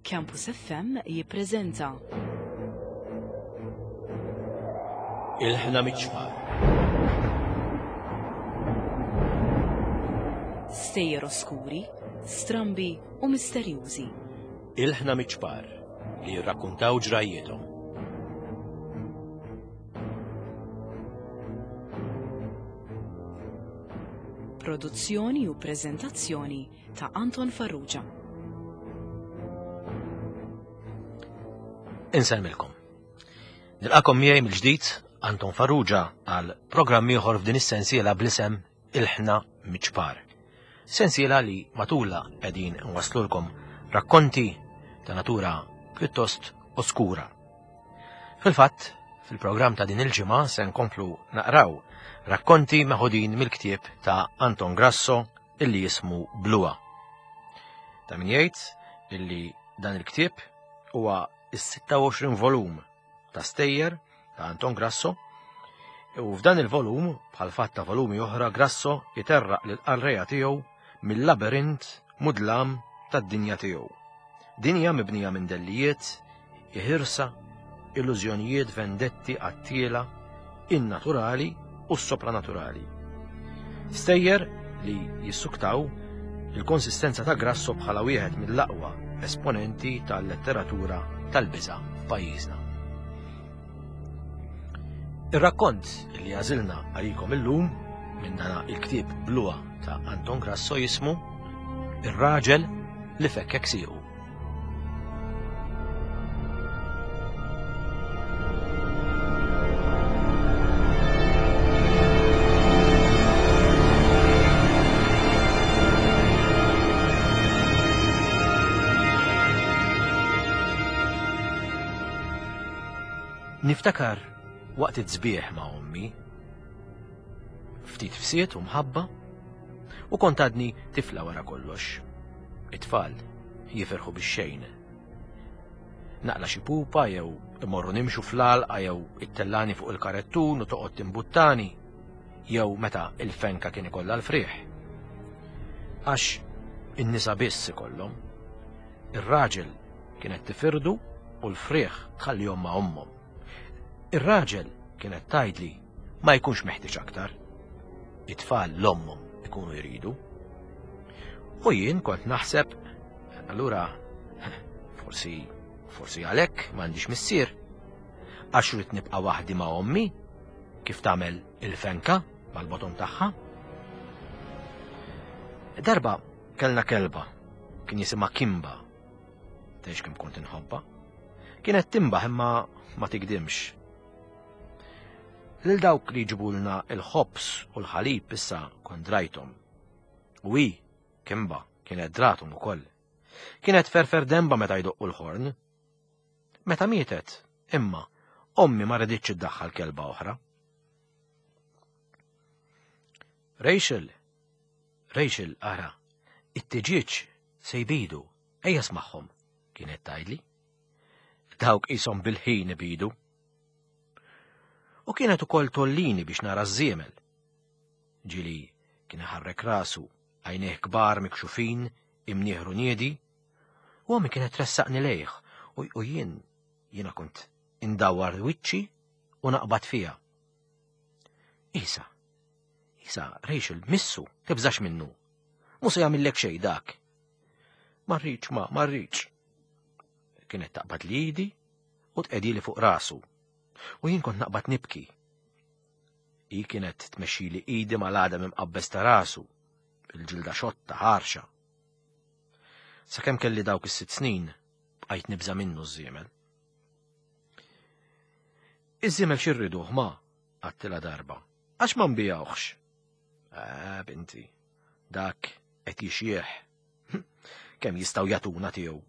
Campus FM jippreżenta. Il-ħna miċ-ċmar. Stejjer oskuri, strambi u misterjużi. Il-ħna miċ-ċpar li jirrakkuntaw ġrajjiethom. Produzzjoni u preżentazzjoni ta' Anton Farrugia. Insellmilkom. Nilqakom miegħi mill-ġdid Anton Farrugia għal programm ieħor f'din is-sensiela bl-isem Ilħna Miċpar. Sensiela li matula qegħdin nwaslulkom rakkonti ta' natura pjuttost oskura. Fil-fatt, fil-programm ta' din il-ġimgħa se nkomplu naqraw rakkonti meħudin mill-ktieb ta' Anton Grasso illi jismu Blua. Ta' min jgħid illi dan il-ktieb huwa is-26 volum ta' stejjer ta' Anton Grasso u f'dan il-volum, bħal fatt ta' volumi oħra, Grasso jiterraq lil qarreja tiegħu mill-labirint mudlam tad-dinja tiegħu. Dinja mibnija minn dellijiet, iħirsa, illużjonijiet, vendetti, qattiela, in-naturali u s-sopranaturali. Stejjer li jissuktaw il-konsistenza ta' Grasso bħala wieħed mill-aqwa esponenti tal-letteratura tal-biża' f'pajjiżna. Ir-rakkont li għażilna għalikom illum minn dana il-ktieb Blua ta' Anton Grasso jismu Ir-raġel li fekkek siequ. Niftakar waqt it-sbieħ ma' ommi, ftit fsiet u mħabba, u kont għadni tifla wara kollox. It-tfal jifirħu bix-xejn. Naqla xi pupa jew imorru nimxu fl-għalqa jew ittellani fuq il-karettun u toqgħod timbuttani jew meta il-fenka kien ikollha l-frieħ. Għax in-nisa biss ikollhom. Ir-raġel kienet tifirdu u l-frieħ tħallihom ma' ommhom. Ir-raġel kienet tgħidli ma jkunx meħtieġ aktar. It-tfal l-ommhom ikunu jridu. U jien kont naħseb, allura forsi forsi għalhekk m'għandix missier. Għax rrid nibqa' waħdi ma' ommi, kif tagħmel il-fenka mal-boton tagħha. Darba kellna kelba, kien jisimha Kimba. Tgħix kemm kont inħobba. Kienet timbaħ imma ma tigdimx. Lil dawk li jġibulna il-ħobż u l-ħalib issa kont drajthom. U hi, Kimba, kienet drathom ukoll. Kienet ferfer demba meta jdoqqu l-ħorn. Meta mietet, imma, ommi ma riditx iddaħħal kelba oħra. Rachel, Rachel, ara, it-tiġieġ se jbidu, ejja smagħhom, kienet tgħidli. Dawk qishom bil-ħin ibidu. U kienet ukoll tollini biex nara ż-żiemel. Ġili kien iħarrek rasu, għajnejh kbar mikxufin, imnieħru niedi, u ommi kienet tressaqni lejh u jien jiena kont indawwar wiċċi u naqbad fiha. Isa, Isa, Rachel, missu, tibżax minnu. Mhu se jagħmillek xejn dak. Ma rridx, ma, ma rridx. Kienet taqbad li idi u tqegħdili fuq rasu. U jien kont naqbad nibki. Hi kienet tmexxili idi mal-għadam imqabbes ta' rasu, il-ġilda xotta ħarxa. Sakemm kelli dawk is-sitt snin, bqajt nibża' minnu ż-żiemel. Iż-żiemel xi rriduh ma, għattilha darba. Għax ma nbijawhx. Ah, binti, dak qed jixjieħ. Kemm jistgħu jagħtuna tiegħu.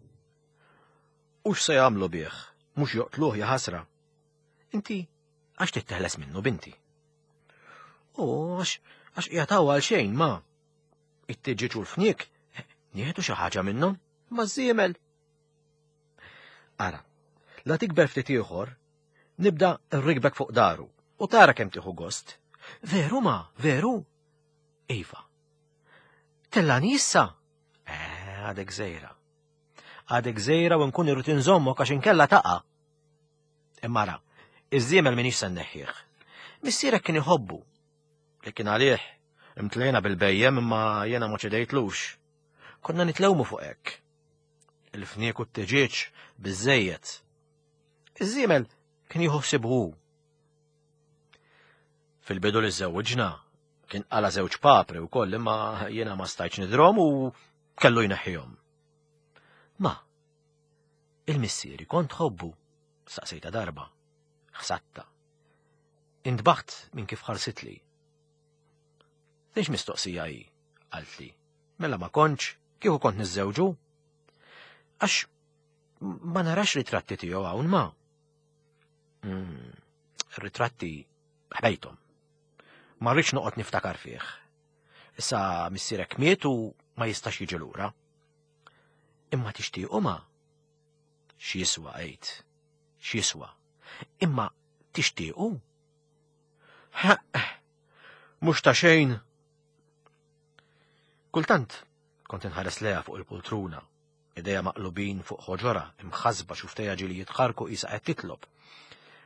U x'se jagħmlu bih? Mhux joqtluh ja ħasra. Inti għax titteħles minnu binti. U għax għax qiegħed għal xejn ma. It-tiġiġ u l-fniek nieħdu xi ħaġa minnhom ma żiemel. Ara, la tikber ftit ieħor, nibda nrikbek fuq daru u tara kemm tieħu gost. Veru ma, veru? Iva. Tellani issa? Eh, għadek żejra. Għadek żgħira u nkun irrid inżommok għax inkella taqa'. Imma ara, iż-żiemel m'iniex se nneħħih. Missierek kien iħobbu. Li kien għalih, imtlejna bil-bejjem imma jiena ma ċedejtlux. Konna nitlewmu fuq hekk. Il-fniek u t-tiġieġ biżejjed. Iż-żiemel kien jieħu ħsibu hu. Fil-bidu li żewġna, kien qala żewġ papri wkoll imma jiena ma stajtx nidrom u kellu jneħħihom. Ma, il-missieri kont tħobbu, saqsejta darba, ħsatta. Intbaħt minn kif ħarsitli. Dinx mistoqsija hi, qaltli. Mela ma kontx, kieku kont niżżewġu? Għax ma narax ritratti tiegħu hawn ma. Mm, ritratti ħbejthom. Ma rridx noqgħod niftakar fih. Issa missierek miet u ma jistax jiġi lura. Imma tixtiequ ma? X'jiswa għid? X'jiswa? Imma tixtiequ? Mhux ta' xejn. Kultant kont inħares leha fuq il-pultruna, ideja maqlubin fuq ħoġora, imħasba xuftejha ġieli jitħarku qisha qed titlob.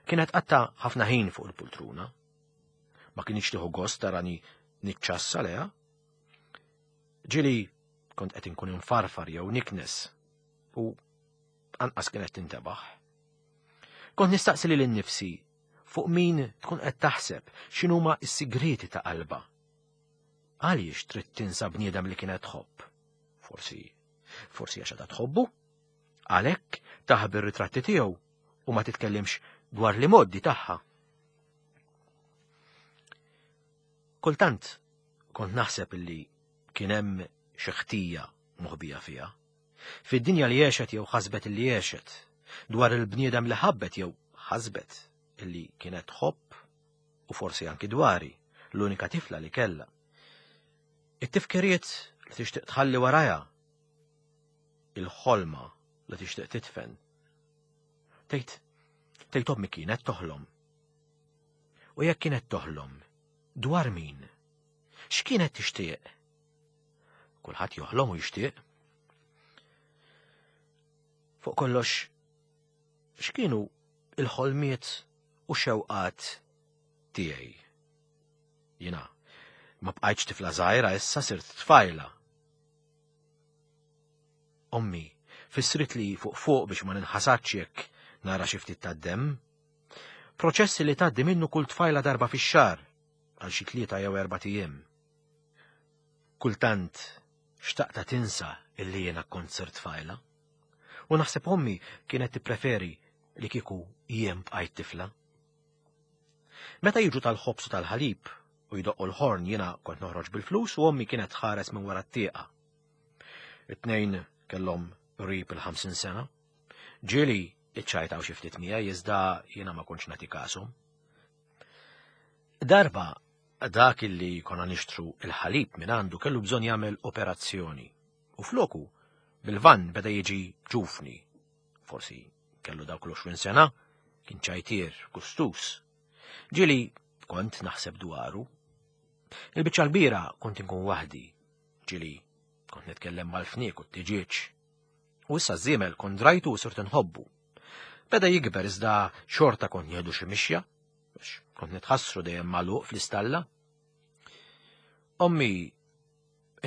Kienet qatta ħafna ħin fuq il-pultruna. Ma kienx tieħu gost tarani niċċassa leha. Ġieli kont qed inkun infarfar jew niknes u anqas kienet tintebaħ. Kont nistaqsi lil innifsi fuq min tkun qed taħseb x'inhuma s-sigrieti ta' qalbha. Għaliex trid tinsa bniedem li kienet tħobb? Forsi, forsi għax għadha tħobbu? Għalhekk taħbi r-ritratti tiegħu u ma titkellimx dwar li moddi tagħha. Kultant kont naħseb illi kien hemm xi ħtija moħbija fiha. Fid-dinja li għexet jew ħasbet illi għexet, dwar il-bniedem li ħabbet jew ħasbet illi kienet tħobb u forsi anki dwari, l-unika tifla li kellha. It-tifkiriet li tixtieq tħalli warajha, il-ħolma li tixtieq titfen. Tgħid, tgħid ommi kienet toħlom. U jekk kienet toħlom, dwar min? X'kienet tixtieq? Kulħadd joħlom u jixtieq. Fuq kollox, x'kienu il-ħolmiet u xewqat tiegħi? Jiena ma bqajtx tifla żgħira issa sirt tfajla. Ommi fissrit li fuq fuq biex ma ninħasadx jekk nara xi ftit tad-demm. Proċessi li tgħaddi minnu kull tfajla darba fix-xahar għal xi tlieta jew erba' ijiem. Kultant xtaqta tinsa illi jiena kont sirt tfajla. U naħseb ommi kienet tippreferi li kieku jien bqajt tifla. Meta jiġu tal-ħobż u tal-ħalib u jdoqqu l-ħorn jiena kont noħroġ bil-flus u ommi kienet tħares minn wara t-tieqa. It-tnejn kellhom qrib il-50 sena. Ġieli iċċajtaw xi ftit miegħi iżda jiena ma kontx nagħti kashom. Darba dak illi konna nixtru il-ħalib minn għandu kellu bżonn jagħmel operazzjoni u floku bil-vann beda jiġi ġufni. Forsi kellu dawk l-20 sena, kien ċajtier, gustus. Ġieli kont naħseb dwaru. Il-biċċa l-kbira kont inkun waħdi. Ġieli kont nitkellem mal-fniek u t-tiġieġ. U issa żiemel kont drajtu u sirt inħobbu. Beda jikber iżda xorta kont nieħdu xi mixja, biex kont nitħassru dejjem magħluq fl-istalla. Ommi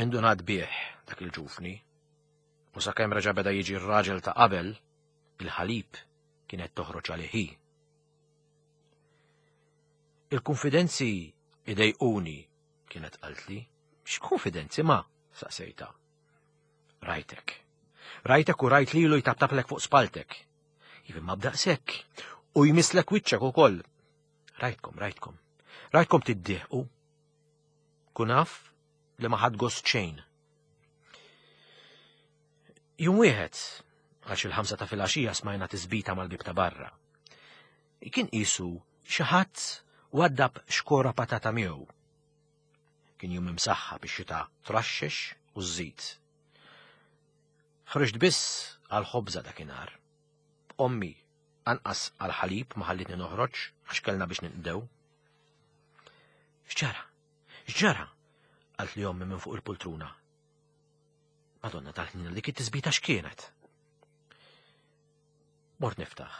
indunat bih dak il-ġufni, u sakemm reġa' beda jiġi r-raġel ta' qabel, il-ħalib kienet toħroġ għalih hi. Il-kunfidenzi idejquni, kienet qaltli. X'kunfidenzi ma? saqsejta. Rajtek. Rajtek u rajt lilu jtaptaplek fuq spaltek. Iva ma b'daqshekk. U jmisslek wiċċek ukoll. Rajtkom, rajtkom. Rajtkom tiddieħqu. Kun af li ma ħadd gost xejn. Jum wieħed, għax il-ħamsa ta' filgħaxija smajna tisbita mal-bib ta' barra. Kien qisu xi ħadd waddab xkora patata miegħu. Kien jum imsaħħa biex xita traxxex u żżid. Ħriġt biss għal ħobża dakinhar. Ommi anqas għal ħalib ma ħallitni noħroġ għax kellna biex ninqdew. X'ġara? X'ġara? Qalt li ommi minn fuq il-pultruna. Madonna tal-ħnina dik it-tisbita x'kienet? Mort niftaħ.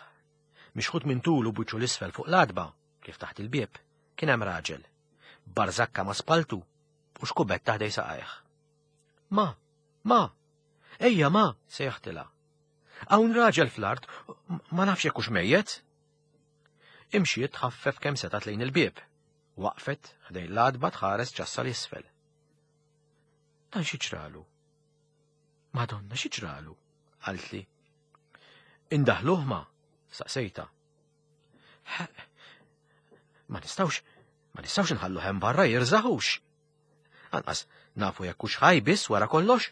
Mixħut minn tul u buċċu l-isfel fuq l-adba, kif taħt il-bieb, kien hemm raġel. Barżakka ma' spaltu u xkubetta ħdej saqajh. Ma, ma, ejja ma, sejħtilha. Hawn raġel fl-art, ma nafx jekk hux mejjet. Imxiet tħaffef kemm setgħet lejn il-bieb. Waqfet ħdejn l-għatba tħares ċassa l-isfel. Dan xi ġralu? Madonna, xi ġralu? Qaltli. Indaħluh ma? Saqsejta. Ma nistawx, ma nistawx nħallu hemm barra jirżaħux. Anqas nafu jekk hux ħaj biss wara kollox.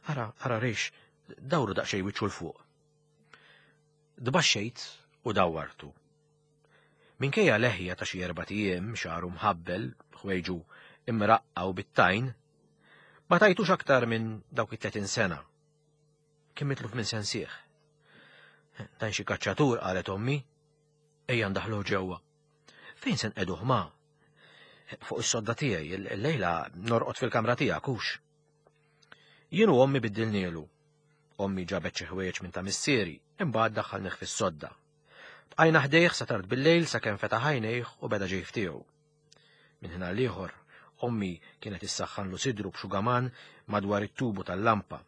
Ara, ara rix, dawru daqsxejn wiċċu 'l fuq. Dbaxxejt u dawwartu. Minkejja leħja ta' xi erbat ijiem, xagħru mħabbel, ħwejġu imraqqa u bit-tajn, ma tajtux aktar minn dawk it-30 sena. Kien mitluf minn sensih. Dan xi kaċċatur, qalet ommi. Ejja ndaħluh ġewwa. Fejn se nqegħduh ma? Fuq is-sodda tiegħi, illejla norqod fil-kamra tiegħek hux. Jien u ommi biddilnielu. Ommi ġabet xi ħwejjeġ minn ta' missieri, imbagħad daħħalnih fis-sodda. Bqajna ħdejh sa tard bil-lejl sakemm fetaħ għajnejh u beda ġej ftiegħu. Minn ħin għal ieħor, ommi kienet issaħħanlu sidru b'xugaman madwar it-tubu tal-lampa.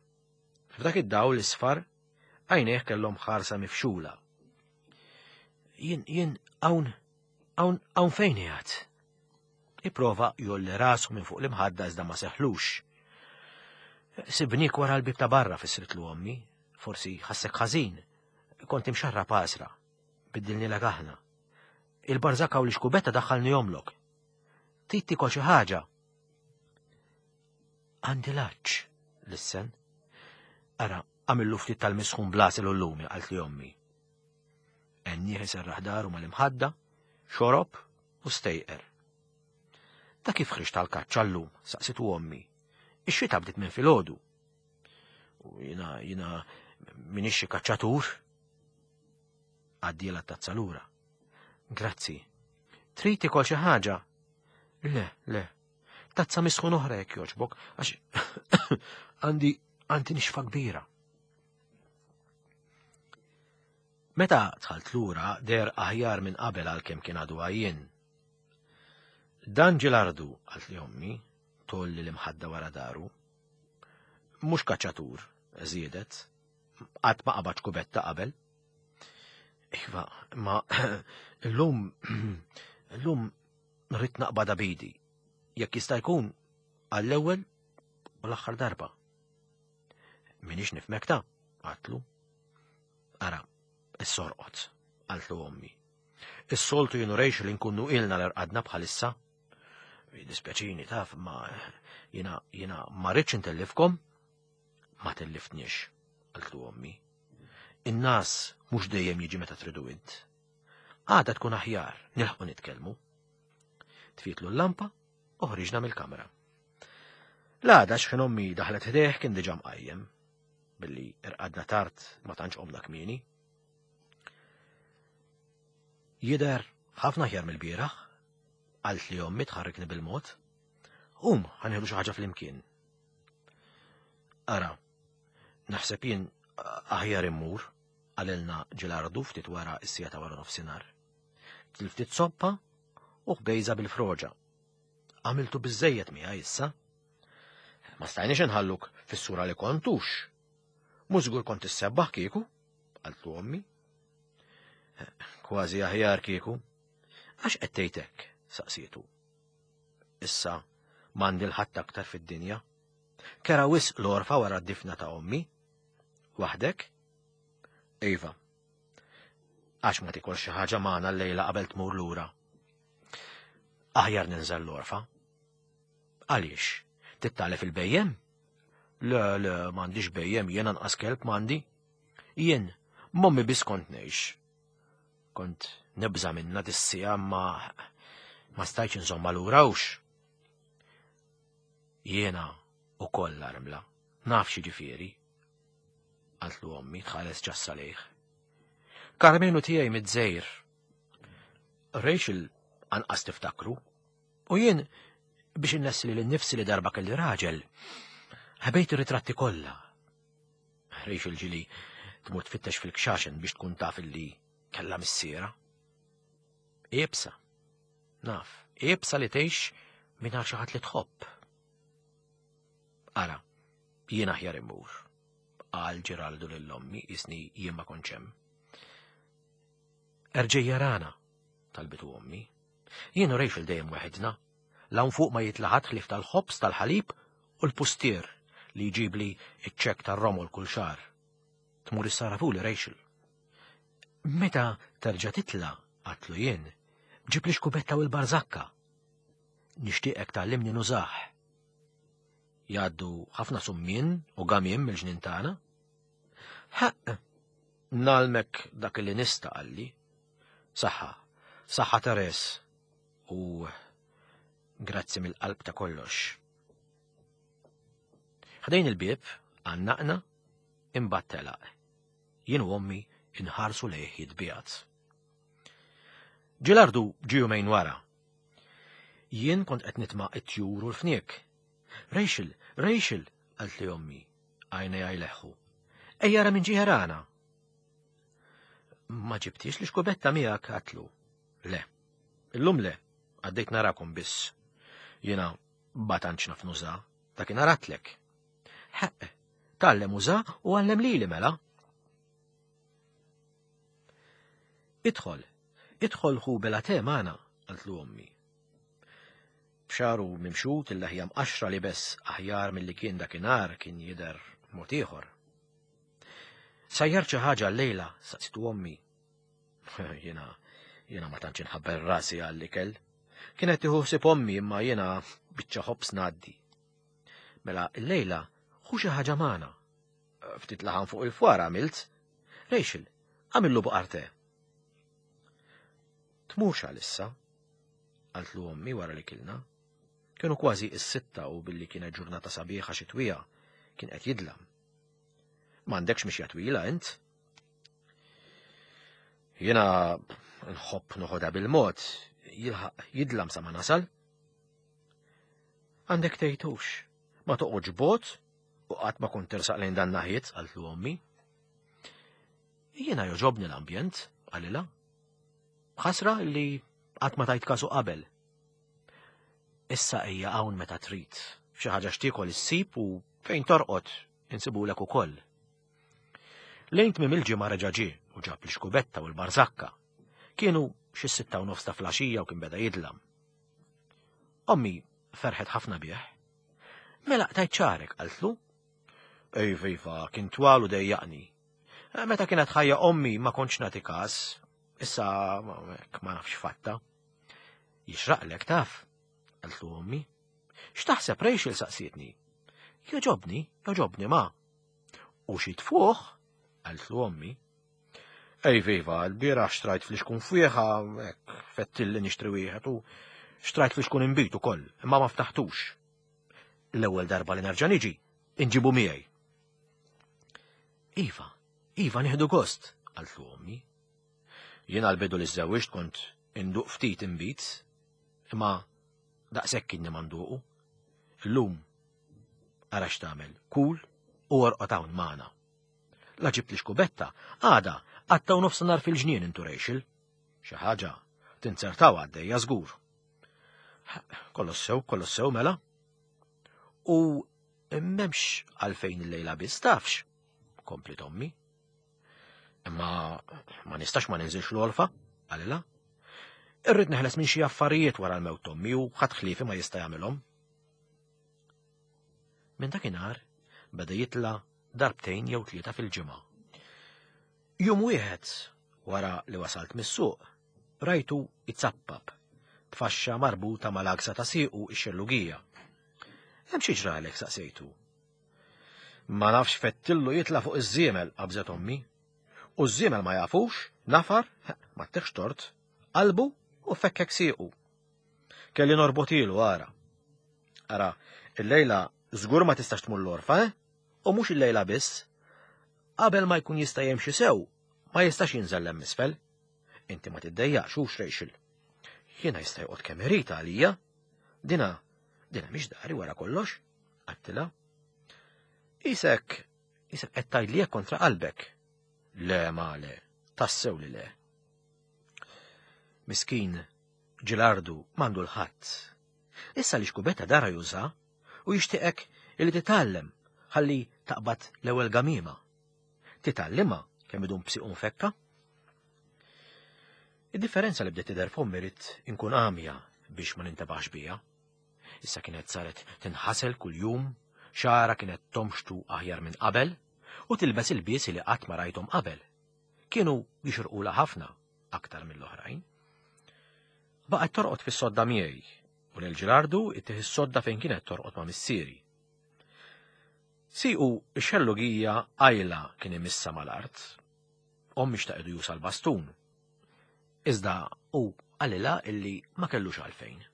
F'dak id-dawl isfar, għajnejh kellhom ħarsa mifxula. Jien, jien, hawn, hawn, hawn fejn qiegħed? Ipprova jolli rasu minn fuq l-imħadda iżda ma seħlux. Sibnik wara l-bib ta' barra fissritlu ommi, forsi ħassek ħażin, kont imxarra pasra, biddilni aħna. Il-barżaka u l-xkubetta daħħalni jomlok. Trid tikol xi ħaġa? Għandi laċ, lissen. Ara, għamillu ftit tal-misħun blasel u l-lumi, għalt li ommi. Ennieh iserraħ daru mal-imħadda, xorob u stejqer. Ta' kif ħriġt tal-kaċċa llum, saqsitu ommi. Ix-xita bdiet minn filgħodu. U jina, jina minix xi kaċċatur. Għaddiela tazza lura. Grazzi. Trid tikol xi ħaġa? Le, le. Tazza misħun oħra jekk jogħġbok, għax għandi għandi nixfa kbira. Meta dħalt lura der aħjar minn qabel għalkemm kien għadu għajjien. Dan ġilardu, għalt li ommi, tolli l-imħadda wara daru. Mhux kaċċatur, żiedet, qatt ma qabad kubetta qabel. Iva, ma illum illum rrid naqbada bidi. Jekk jista' jkun għall-ewwel u l-aħħar darba. Minix nifmek ta' għatlu. Ara, is-sorqot, qaltlu ommi. Is-soltu jienu rejx li nkunu ilna l-erqadna bħalissa. Dispjaċini taf, ma jina jina ma rridx intellifkom. Ma telliftniex, qaltlu ommi. In-nas mhux dejjem jiġi meta tridu int. Għada tkun aħjar, nilħqu nitkellmu. Tfietlu l-lampa u ħriġna mill-kamra. L-għada xħin ommi daħlet ħdejh kien diġà mqajjem. Billi irqadna tard ma tantx qomna kmieni. Jidher ħafna aħjar mill-bieraħ, qalt li ommi tħarrikni bil-mod. Qum, ħanieħdu xi ħaġa flimkien. Ara, naħseb jien aħjar immur, qalilna Ġilardu ftit wara s-sija ta' wara nofsinhar. Ftit soppa u ħbejża bil-froġa. Għamiltu biżejjed miegħi issa. Ma stajniex inħalluk fis-sura li kontux. Mhux żgur kont issebbaħ kieku, qaltlu ommi. Kważi aħjar kieku. Għax qed tgħid hekk, saqsietu. Issa m'għandi l-ħadd aktar fid-dinja. Kera wisq l-orfa wara d-difna ta' ommi. Waħdek? Iva. Għax ma tikol xi ħaġa magħna llejla qabel tmur lura. Aħjar ninżel l-orfa. Għaliex? Tittalef il-bejjem? Le, le, m'għandix bejjem, jien anqas kelb m'għandi. Jien, mommi biss kont ngħix. Kont nibża minna dissija ma ma stajtx insomma lura hux. Jiena ukoll armla, naf xi ġifieri. Qaltlu ommi tħares ċassa lejh. Karmenu tiegħi mid-żejr. Rachel anqas tiftakru. U jien biex innessi li l-nifsi li darba kelli raġel, ħbejt ir-ritratti kollha. Rachel ġili Tmur tfittex fil-kxaxen biex tkun taf illi kellha missiera. Iebsa. Naf, iebsa li tgħix mingħajr xi ħadd li tħobb. Ara, jien aħjar immur, qal Ġeraldu lil ommi isni jien ma kontx hemm. Erġej jarana, talbitu ommi. Jien u Rachel dejjem weħidna. L-hawn fuq ma jitlaħat ħlief tal-ħobż, tal-ħalib u l-pustier li jġibli iċ-ċekk tar-romol kull xahar. Tmur issarafuli Rachel. Meta terġa' titla', għatlu jien, ġib li xkubetta u l-barżakka. Nixtieqek tgħallimni nużah. Jgħaddu ħafna summien u gamiem mill-ġnien tagħna. Ħaqq, nalmek dak li nista' qalli. Saħħa, saħħa Teres u grazzi mill-qalb ta' kollox. Ħdejn il-bieb, għannaqna, imbagħad telaq. Jien u ommi inħarsu lejh jitbiegħed. Ġilardu ġie jumejn wara. Jien kont qed nitma' it-tjur u l-fniek. Rachel, Rachel, qalt li ommi, għajnejha jleħħu. Ejja ra minn ġiħerana. Ma ġibtix li xkubetta miegħek għatlu. Le. Illum le, għaddejt narakom biss. Jiena ma tantx naf nuża, dakinhar għatlek. Ħeq, tgħallem uża u għallem lili mela. Idħol, idħol ħu bela te magħna, qaltlu ommi. B'xaru mimxut il-leħja mqaxra li bes aħjar milli kien dakinhar kien jidher mod ieħor. Sajjar xi ħaġa llejla, saqsitu ommi. Jiena, jiena ma tantx inħabbel rasi għall-ikel. Kienet tieħu ħsieb ommi imma jiena biċċa ħobż ngħaddi. Mela llejla ħu xi ħaġa magħna. Ftit laħam fuq il-fwar għamilt. Rachel, għamillu buqarte. Tmurx għalissa, qaltlu ommi wara li kilna. Kienu kważi is-sitta u billi kienet ġurnata sabiħa xitwija, kien qed jidlam. M'għandekx mixja twila int? Jiena nħobb noħodha bil-mod, jilħaq jidlam sa ma nasal. Għandek tgħidux, ma toqgħodx bot u qatt ma kont tersaq lejn dan naħiet, qaltlu ommi. Jiena joġobni l-ambjent, qalilha. Ħasra li qatt ma tajt kasu qabel. Issa ejja hawn meta trid. Xi ħaġa xtiekol issib u fejn torqod insibulek ukoll. Lejn tmiem il-ġimgħa reġa' ġie u ġab l-xkubetta u l-barżakka. Kienu xi 6:30 ta' flaxija u kien beda jidlam. Ommi ferħet ħafna bih. Mela qtajt ċarek, qaltlu. Ejva, iva, kien twal u dejjaqni. Eh, meta kienet ħajja ommi ma kontx nagħti każ, issa ma nafx fatta. Jixraqlek taf, qaltlu ommi. X'taħseb Rachel saqsietni? Joġobni, joġobni ma. U xi tfuħ, qaltlu ommi. Ej viva, l-bieraħ xtrajt fl-ixkun fwieħa, hekk fettilli nixtri wieħed u xtrajt fl-ixkun inbid ukoll, imma ma ftaħtux. L-ewwel darba li nerġa' niġi, inġibu miegħi. Iva, iva nieħdu gost, qaltlu ommi. Jien għal-bidu li żewwiġt kont induq ftit inbid, imma daqshekk kien manduqu. Illum ara x'tagħmel, kul u orqod hawn magħna. La ġibt li xkubetta, għada, għattaw nofsinhar fil-ġnien intu Rachel. Xi ħaġa, tinzertaw għaddejja żgur. Kollox sew, kollox sew mela. U m'hemmx għalfejn il-lejla biss tafx, kompli tommi. Imma ma nistax ma ninżilx l-olfa, qalilha. Irrid neħles minn xi affarijiet wara l-mewt tommi u ħadd ħliefi ma jista' jagħmilhom. Minn dakinhar beda jitla' darbtejn jew tlieta fil-ġimgħa. Jum wieħed wara li wasalt mis-suq, rajtu jzappap b'faxxa marbuta mal-għaksa ta' siequ x-xellugija. Hemm xi ġralek saqsejtu. Ma nafx fettillu jitla' fuq iż-żiemel, qabżet ommi. U ż-żiemel ma jafux, nafar, ma ttiħx tort, qalbu u fekkek siequ. Kelli norbotilu ara. Ara, illejla żgur ma tistax tmur l-orfa, eh? U mhux illejla biss. Qabel ma jkun jista' jimxi sew, ma jistax jinżel hemm isfel. Inti ma tiddejjaqx hux Rachel. Jiena jista' joqgħod kemm irid għalija. Dina, dina mhix dari wara kollox, għattilha. Isek, isek qed tgħidli hekk kontra qalbek. Le ma le, tassew li le. Miskin, Ġilardu m'għandu l-ħadd. Issa li xkubetta dara juża u jixtieqek illi titgħallem ħalli taqbad l-ewwel gamiema. Titgħallimha kemm idum b'siequ mfekka? Id-differenza li bdiet tidher f'ommi ridt inkun għamja biex ma nintebaħx biha. Issa kienet saret tinħasel kuljum, xagħarha kienet tomxtu aħjar minn qabel u tilbes ilbiesi li qatt ma rajthom qabel. Kienu jixirqulha ħafna aktar mill-oħrajn. Baqgħet torqod fis-sodda miegħi u lil Ġilardu ittih is-sodda fejn kienet torqod ma' missieri. Siqu x-xellugija qajla kien imissa mal-art. Ommi xtaqedu jusa l-bastun. Iżda hu qalilha illi ma kellux għalfejn.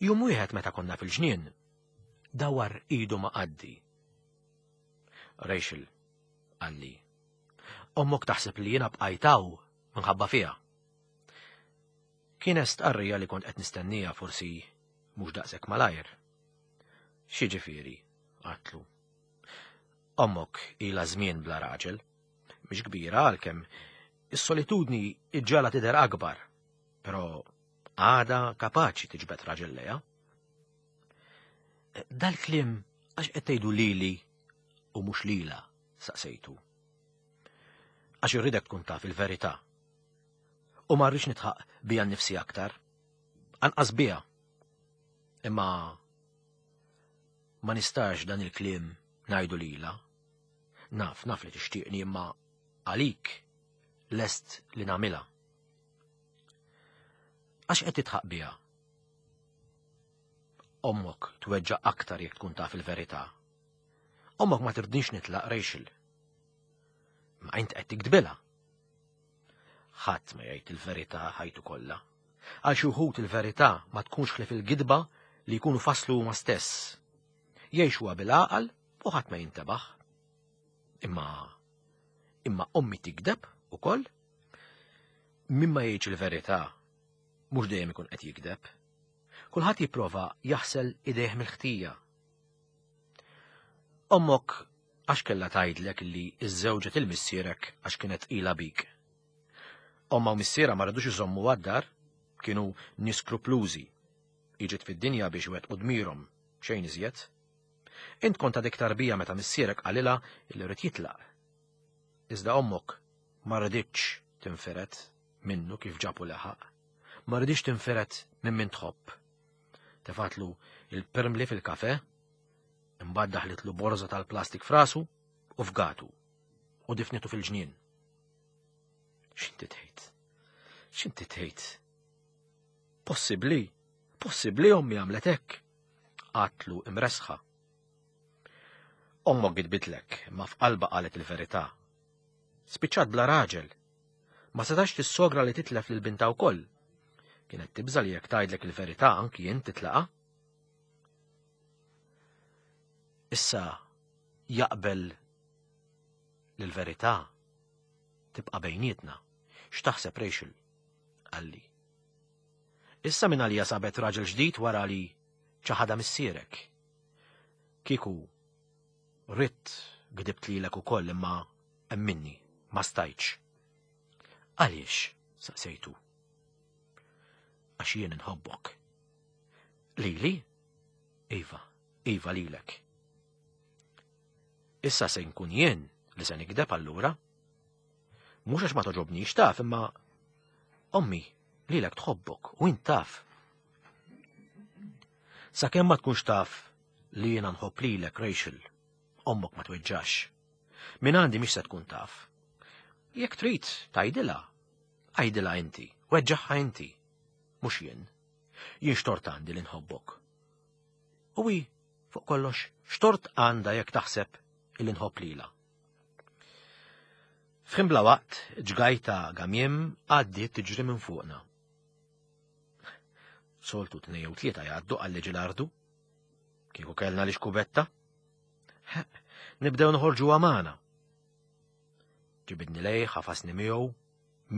Jum wieħed meta konna fil-ġnien, dawar idu ma' qaddi. Rachel, qalli, ommok taħseb li jiena bqajt hawn minħabba fiha. Kienet stqarrija li kont qed nistennija forsi mhux daqshekk malajr. X'jiġifieri? għadtlu. Ommok ilha żmien bla raġel. Mhix kbira għalkemm is-solitudni iġġala tidher akbar, però għada kapaċi tiġbed raġel lejha. Dal-kliem għax qed tgħidu lili u mhux lila, saqsejtu. Għax irridek tkun taf il-verità. U ma rridx nitħaq bija nnifsi aktar. Anqas bija. Imma ma nistax dan il-kliem ngħidu lila. Naf, naf li tixtieqni imma għalik lest li nagħmilha. Għax qed titħaq biha? Ommok tweġġa' aktar jekk tkun taf il-verità. Ommok ma tirdnix nitlaq Rachel. Ma int qed tikdbilha. Ħadd ma jgħid il-verità ħajtu kollha. Għal xi wħud il-verità ma tkunx ħlief il-gidba li jkunu faslu huma stess. Jgħixuha bil-għaqal u ħadd ma jintebaħ. Imma imma ommi tikdeb ukoll? Min ma jgħidx il-verità mhux dejjem ikun qed jikdeb. Kulħadd jipprova jaħsel idejh mill-ħtija. Ommok għax kellha tgħidlek li iżżewġet il-missierek għax kienet tqila bik. Omma u missierha ma ridux iżommu għad-dar, kienu nies skruplużi. Iġiet fid-dinja biex iwettqu dmirhom, xejn iżjed. Int kont għadek tarbija meta missierek qalilha li ried jitlaq. Iżda ommok ma riditx tinfired minnu kif ġab u leħaq. Ma riditx tinfired minn min tħobb. Tefatlu il-pirmli fil-kafe, imbagħad daħlitlu borża tal-plastik frasu u fgatu u difnitu fil-ġnien. X'inti tgħid? X'inti tgħid? Possibbli, possibbli ommi għamlet hekk. Għatlu imresħa. Ommok gidbitlek, ma f'qalba qalet il-verità. Spiċċat bla raġel. Ma setax tissogra li titlef lil binta wkoll. Kienet tibża li jekk tgħidlek il-verità anki jien titlaqa. Issa jaqbel li l-verità tibqa' bejnietna. X'taħseb Rachel? Qalli. Issa minn għalija sabet raġel ġdid wara li ċaħada missierek. Kieku ridt gdibt lilek ukoll imma emminni, ma stajtx. Għaliex? saqsejtu. Għax jien inħobbok. Lili? Iva, iva lilek. Issa se nkun jien li se nikdeb allura. Mhux għax ma toġobnix taf imma ommi lilek tħobbok u int taf. Sakemm ma tkunx taf li jiena nħobb lilek Rachel, ommok ma tweġġax. Min għandi mhix se tkun taf. Jekk trid tgħidilha, għidilha inti, weġġaħħa inti, mhux jien. Jien xtort għandi li nħobbok. U hi, fuq kollox, xtort għandha jekk taħseb illi nħobb lilha. F'ħin bla waqt, ġgajta gamiem għaddiet tiġri minn fuqna. Soltu tnej jew tlieta jgħaddu għal ġilardu. Kieku kellna li xkubetta. Nibdew noħorġu għamana. Ġibidni lej, ħafasni miegħu,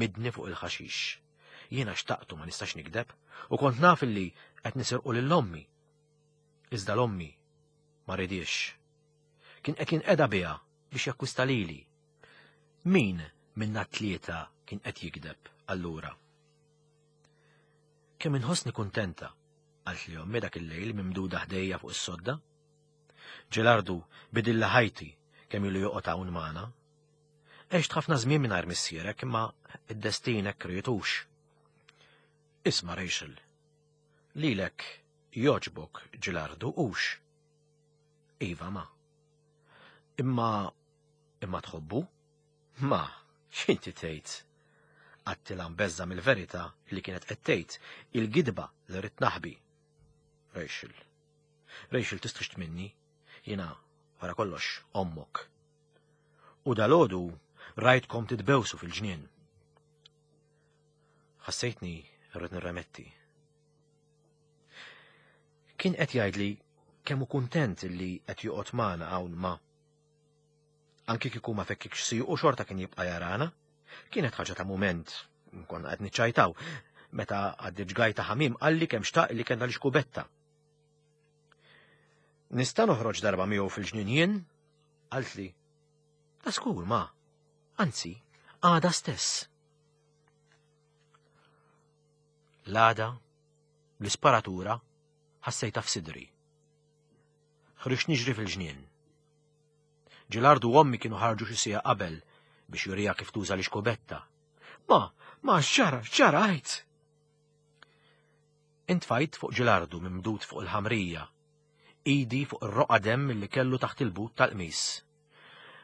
midni fuq il-ħaxix. Jiena xtaqtu ma nistax nikdeb u kont naf illi qed nisirqu lil ommi. Iżda l-ommi ma ridiex. Kien qed jinqeda biha biex jakkwista lili. Min minna tlieta kien qed jigdeb allura? Kemm inħossni kuntenta, qaltli ommi dak il-lejl mimduda ħdejja fuq is-sodda. Ġelardu bidilli ħajti kemm ilu joqgħod hawn magħna. Għext ħafna żmien mingħajr missierek imma id-destin hekk rietux. Isma' Rachel, lilek jogħġbok Ġilardu hux? Iva ma. Imma imma tħobbu? Ma, x'inti tgħid? Għattilha mbeżża' mill-verità li kienet qed tgħid, il-gidba li ridt naħbi. Rachel. Rachel tistħix minni, jiena wara kollox ommok. U dalgħodu rajtkom titbewsu fil-ġnien. Ħassejtni rrid nirremetti. Kien qed jgħidli kemm hu kuntent li qed joqgħod magħna hawn ma. Anki kieku ma fekkikx siequ xorta kien jibqa' jarana. Kienet ħaġa ta' mument, konna qed niċċajtaw, meta għaddi ġgajta ħamim qalli kemm xtaq li kellna l-xkubetta. Nista' noħroġ darba miegħu fil-ġnien jien? Qaltli. Ta' skur ma. Anzi, għada stess. L-għada, l-isparatura, ħassejta f'sidri. Ħriġt niġri fil-ġnien. Ġilardu u ommi kienu ħarġu xi siegħa qabel biex jurija kif tuża l-ixkubetta. Ma, ma x'ġara, x'ġara għid? Intfajt fuq Ġilardu mimdud fuq il-ħamrija, idi fuq ir-roqa demm li kellu taħt il-but tal-qmis.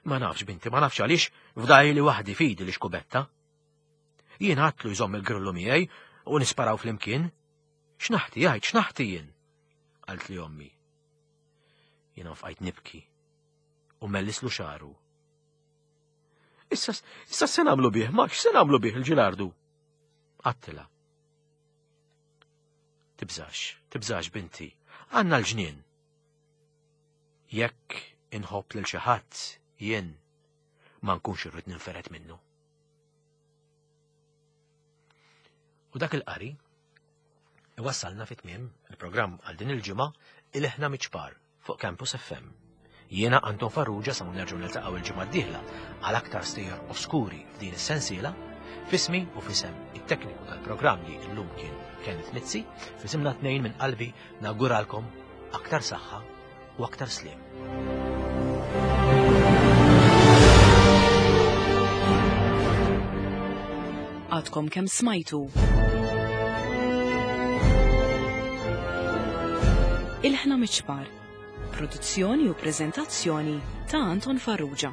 Ma nafx binti, ma nafx għaliex fdajli waħdi fidi l-ixkubetta. Jien għatlu jżomm il-grillu miegħi u nisparaw flimkien. X'naħti għid, x'naħti jien? Qalt li ommi. Jiena fqajt nibki u mellislu xaru. Issa, issa se nagħmlu bih, ma x'se nagħmlu bih il-ġilardu? Għattila. Tibżax, tibżax binti, għandna l-ġnien. Jekk inħobb lil xi ħadd jien ma nkunx irrid ninferet minnu. U dak il-qari iwassalna fit tmiem il-programm għal din il-ġimgħa il-ħna miċpar fuq Campus FM. Jiena Anton Farrugia sa nerġgħu niltaqgħu il-ġimgħa d-dieħla għal aktar stejjer oskuri f'din is-sensiela, fismi u fisem it-tekniku tal-programm li llum kien Kenneth Mizzi, fisimna tnejn minn qalbi nawguralkom aktar saħħa u aktar sliem. Għadkom kemm smajtu. Il-ħna miċpar. Produzzjoni u prezentazzjoni ta' Anton Farrugia.